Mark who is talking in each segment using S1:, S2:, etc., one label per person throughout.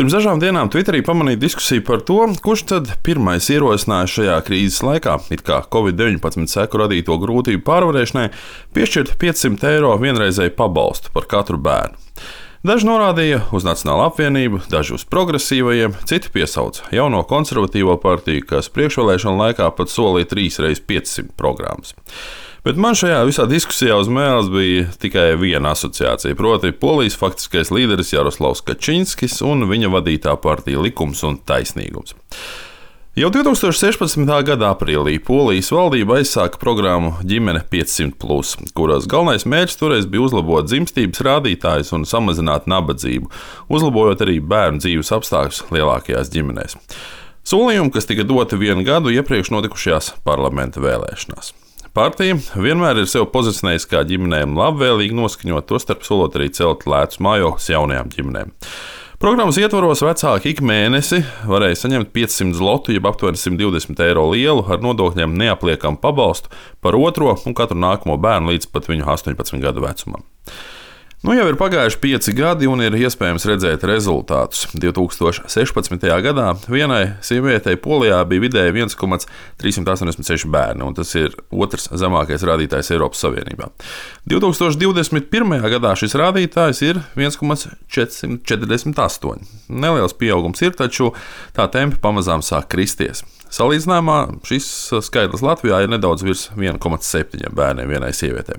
S1: Pirms dažām dienām Twitterī pamanīju diskusiju par to, kurš tad pirmais ierosināja šajā krīzes laikā, it kā Covid-19 seku radīto grūtību pārvarēšanai, piešķirt 500 eiro vienreizēju pabalstu par katru bērnu. Daži norādīja uz Nacionālo apvienību, daži uz progresīvajiem, citi piesauca jauno konservatīvo partiju, kas priekšvēlēšanu laikā pat solīja 3x500 programmas. Bet man šajā visā diskusijā uz mēles bija tikai viena asociācija, proti Polijas faktiskais līderis Jaroslavs Kačinskis un viņa vadītā partija Likums un taisnīgums. Jau 2016. gada aprīlī Polijas valdība aizsāka programmu Ģimene 500+, kuras galvenais mērķis toreiz bija uzlabot dzimstības rādītājus un samazināt nabadzību, uzlabojot arī bērnu dzīves apstākļus lielākajās ģimenēs. Solījumi, kas tika doti 1 gadu iepriekš notikušajās parlamenta vēlēšanās. Partija vienmēr ir sevi pozicionējusi kā ģimenēm labvēlīgi noskaņot, tostarp solot arī celt lētus mājokļus jaunajām ģimenēm. Programmas ietvaros vecāki ik mēnesi varēja saņemt 500 zlotu, jeb aptuveni 120 eiro lielu ar nodokļiem neapliekamu pabalstu par otro un katru nākamo bērnu līdz pat viņu 18 gadu vecumam. Nu jau ir pagājuši 5 gadi un ir iespējams redzēt rezultātus. 2016. gadā vienai sievietei Polijā bija vidēji 1,386 bērni, un tas ir otrs zemākais rādītājs Eiropas Savienībā. 2021. gadā šis rādītājs ir 1,448. Neliels pieaugums ir, taču tā tempi pamazām sāk kristies. Salīdzinājumā šis skaitlis Latvijā ir nedaudz virs 1,7 bērniem vienai sievietei.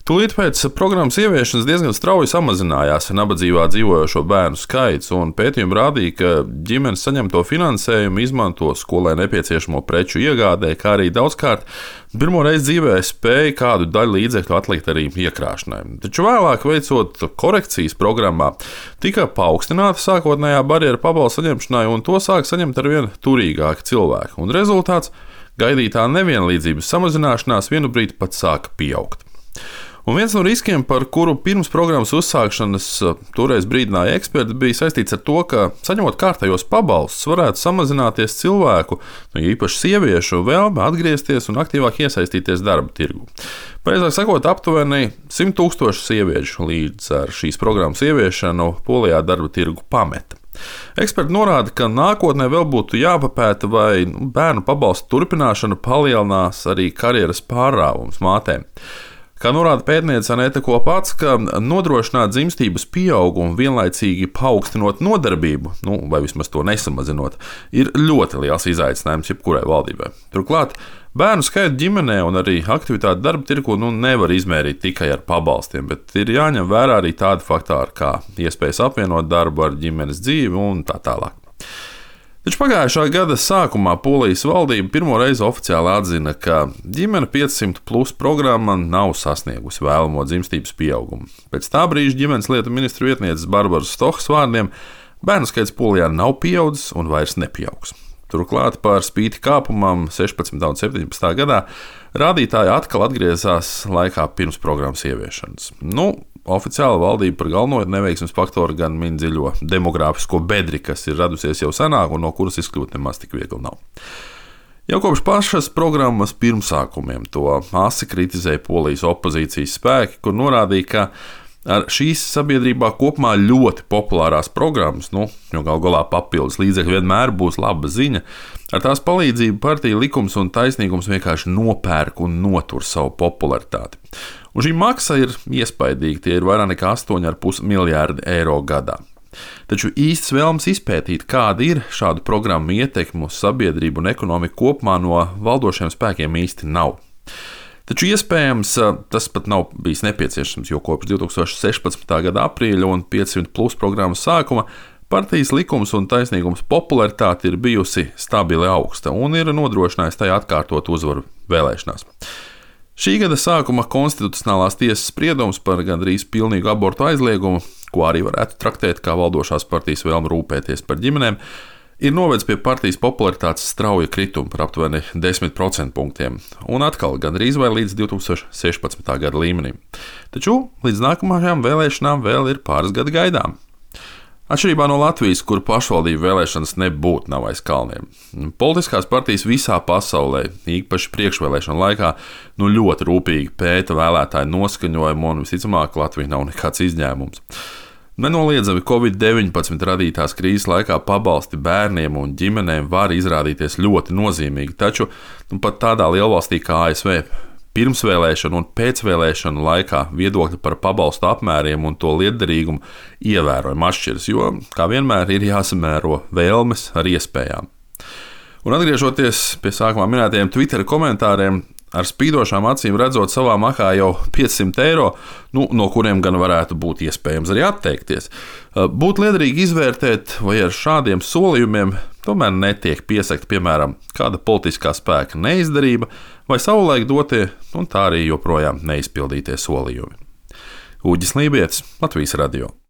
S1: Tūlīt pēc programmas ieviešanas diezgan strauji samazinājās nabadzībā dzīvojošo bērnu skaits, un pētījumi rādīja, ka ģimenes saņemto finansējumu izmanto skolai nepieciešamo preču iegādē, kā arī daudzkārt pirmo reizi dzīvē spēja kādu daļu līdzekļu atlikt arī iekrāšanai. Taču vēlāk, veicot korekcijas programmā, tika paaugstināta sākotnējā barjera pabalstu saņemšanai, un to sāk saņemt arvien turīgāki cilvēki. Un rezultāts - gaidītā nevienlīdzības samazināšanās vienu brīdi pat sāka pieaugt. Un viens no riskiem, par kuru pirms programmas uzsākšanas toreiz brīdināja eksperti, bija saistīts ar to, ka saņemot kārtējos pabalstus varētu samazināties cilvēku, īpaši sieviešu, vēlme atgriezties un aktīvāk iesaistīties darba tirgu. Pareizāk sakot, aptuveni 100 000 sieviešu līdz ar šīs programmas ieviešanu Polijā darba tirgu pameta. Eksperti norāda, ka nākotnē vēl būtu jāpapēta, vai bērnu pabalstu turpināšana palielinās arī karjeras pārrāvums mātēm. Kā norāda pētniece Aneta Kopacka, nodrošināt dzimstības pieaugumu vienlaicīgi paaugstinot nodarbību, vai vismaz to nesamazinot, ir ļoti liels izaicinājums jebkurai valdībai. Turklāt bērnu skaitu ģimenē un arī aktivitāti darba tirgu nevar izmērīt tikai ar pabalstiem, bet ir jāņem vērā arī tādi faktori kā iespējas apvienot darbu ar ģimenes dzīvi un tā tālāk. Taču pagājušā gada sākumā Polijas valdība pirmo reizi oficiāli atzina, ka Ģimene 500+ programma nav sasniegusi vēlamo dzimstības pieaugumu. Pēc tā brīža ģimenes lietu ministru vietnieces Barbaras Stohas vārdiem bērnu skaits Polijā nav pieaudzis un vairs nepieaugs. Turklāt par spīti kāpumam 16. un 17. gadā rādītāji atkal atgriezās laikā pirms programmas ieviešanas. Oficiāla valdība par galveno neveiksmes faktoru gan min dziļo demogrāfisko bedri, kas ir radusies jau senāk un no kuras izkļūt nemaz tik viegli nav. Jau kopš pašas programmas pirmsākumiem to asi kritizēja Polijas opozīcijas spēki, kur norādīja, ka ar šīs sabiedrībā kopumā ļoti populārās programmas, jo galu galā papildus līdzekļi vienmēr būs laba ziņa, ar tās palīdzību partija Likums un taisnīgums vienkārši nopērk un notur savu popularitāti. Un šī maksa ir iespaidīga, tie ir vairāk nekā 8,5 miljārdi eiro gadā. Taču īsts vēlms izpētīt, kāda ir šādu programmu ietekme uz sabiedrību un ekonomiku kopumā no valdošiem spēkiem īsti nav. Taču iespējams tas pat nav bijis nepieciešams, jo kopš 2016. gada aprīļa un 500+ programmas sākuma partijas Likums un taisnīgums popularitāte ir bijusi stabili augsta un ir nodrošinājusi tai atkārtot uzvaru vēlēšanās. Šī gada sākuma konstitucionālās tiesas spriedums par gandrīz pilnīgu abortu aizliegumu, ko arī varētu traktēt kā valdošās partijas vēlme rūpēties par ģimenēm, ir novedis pie partijas popularitātes strauja krituma par aptuveni 10% punktiem, un atkal gandrīz vai līdz 2016. gada līmenim. Taču līdz nākamajām vēlēšanām vēl ir pāris gadi gaidām. Atšķirībā no Latvijas, kur pašvaldību vēlēšanas nebūtu nav aiz kalniem, politiskās partijas visā pasaulē, īpaši priekšvēlēšanu laikā, ļoti rūpīgi pēta vēlētāju noskaņojumu, un visticamāk Latvija nav nekāds izņēmums. Nenoliedzami Covid-19 radītās krīzes laikā pabalsti bērniem un ģimenēm var izrādīties ļoti nozīmīgi, taču pat tādā lielvalstī kā ASV pirmsvēlēšanu un pēcvēlēšanu laikā viedokļi par pabalstu apmēriem un to lietderīgumu ievērojami atšķiras, jo, kā vienmēr, ir jāsamēro vēlmes ar iespējām. Un atgriežoties pie sākumā minētajiem Twitter komentāriem, ar spīdošām acīm redzot savā makā jau 500 eiro, no kuriem gan varētu būt iespējams arī atteikties. Būtu liederīgi izvērtēt, vai ar šādiem solījumiem tomēr netiek piesakta, piemēram, kāda politiskā spēka neizdarība vai savulaik dotie un tā arī joprojām neizpildītie solījumi. Uģis Lībietis, Latvijas Radio.